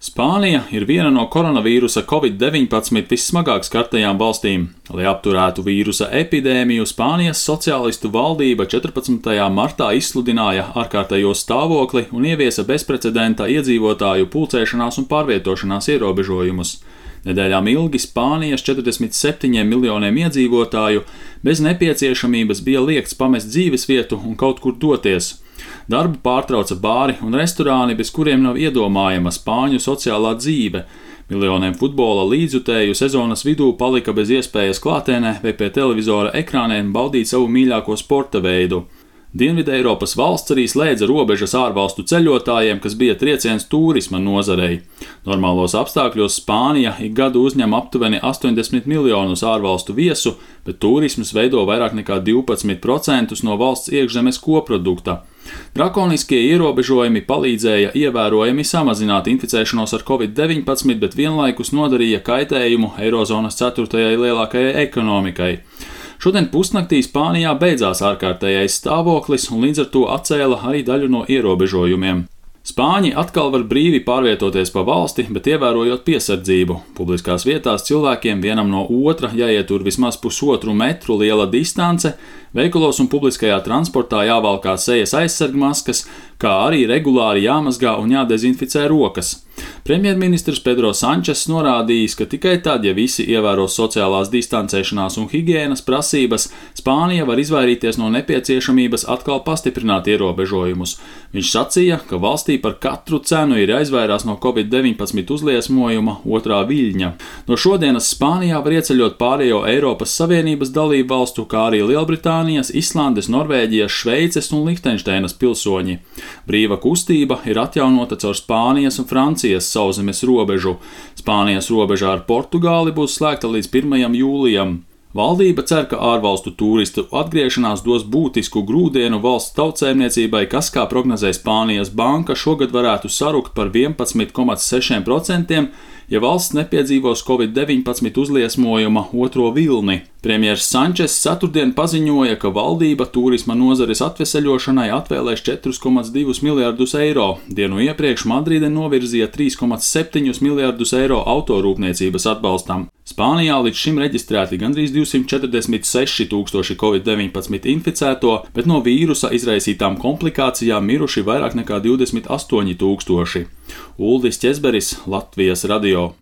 Spānija ir viena no koronavīrusa Covid-19 vissmagāk skartajām valstīm. Lai apturētu vīrusa epidēmiju, Spānijas sociālistu valdība 14. martā izsludināja ārkārtējo stāvokli un ieviesa bezprecedenta iedzīvotāju pulcēšanās un pārvietošanās ierobežojumus. Nedēļām ilgi Spānijas 47 miljoniem iedzīvotāju bez nepieciešamības bija liegts pamest dzīvesvietu un kaut kur doties. Darbu pārtrauca bāri un restorāni, bez kuriem nav iedomājama spāņu sociālā dzīve. Miljoniem futbola līdzjutēju sezonas vidū palika bez iespējas klātienē vai pie televizora ekrāniem baudīt savu mīļāko sporta veidu. Dienvideiropas valsts arī slēdza robežas ārvalstu ceļotājiem, kas bija trieciens turisma nozarei. Normālos apstākļos Spānija ik gadu uzņem aptuveni 80 miljonus ārvalstu viesu, bet turisms veido vairāk nekā 12% no valsts iekšzemes koprodukta. Drakoniskie ierobežojumi palīdzēja ievērojami samazināt inficēšanos ar Covid-19, bet vienlaikus nodarīja kaitējumu Eirozonas 4. lielākajai ekonomikai. Šodien pusnaktī Spānijā beidzās ārkārtējais stāvoklis un līdz ar to atcēla arī daļu no ierobežojumiem. Spāņi atkal var brīvi pārvietoties pa valsti, bet ievērojot piesardzību. Publiskās vietās cilvēkiem vienam no otra jāietur vismaz 1,5 metru liela distance, veikalos un publiskajā transportā jāvalkā sejas aizsargmaskas, kā arī regulāri jāmazgā un jādezinficē rokas. Premjerministrs Pedro Sančes norādījis, ka tikai tad, ja visi ievēros sociālās distancēšanās un higienas prasības, Spānija var izvairīties no nepieciešamības atkal pastiprināt ierobežojumus. Viņš sacīja, ka valstī par katru cenu ir jāizvairās no Covid-19 uzliesmojuma otrā viļņa. No šodienas Spānijā var ieceļot pārējo Eiropas Savienības dalību valstu, kā arī Lielbritānijas, Islandes, Norvēģijas, Šveices un Lihtenšteinas pilsoņi. Brīva kustība ir atjaunota caur Spānijas un Francijas sauszemes robežu. Spānijas robeža ar Portugāli būs slēgta līdz 1. jūlijam. Valdība cer, ka ārvalstu turistu atgriešanās dos būtisku grūdienu valsts tautsēmniecībai, kas, kā prognozē Spānijas banka, šogad varētu sarukt par 11,6%, ja valsts nepiedzīvos Covid-19 uzliesmojuma otro vilni. Premjers Sančes ceturtdien paziņoja, ka valdība turisma nozares atveseļošanai atvēlēs 4,2 miljardus eiro. Dienu iepriekš Madride novirzīja 3,7 miljardus eiro autorūpniecības atbalstam. Spānijā līdz šim reģistrēti gandrīz 246 tūkstoši Covid-19 inficēto, bet no vīrusa izraisītām komplikācijām miruši vairāk nekā 28 tūkstoši. Uldis Ķezberis, Latvijas radio.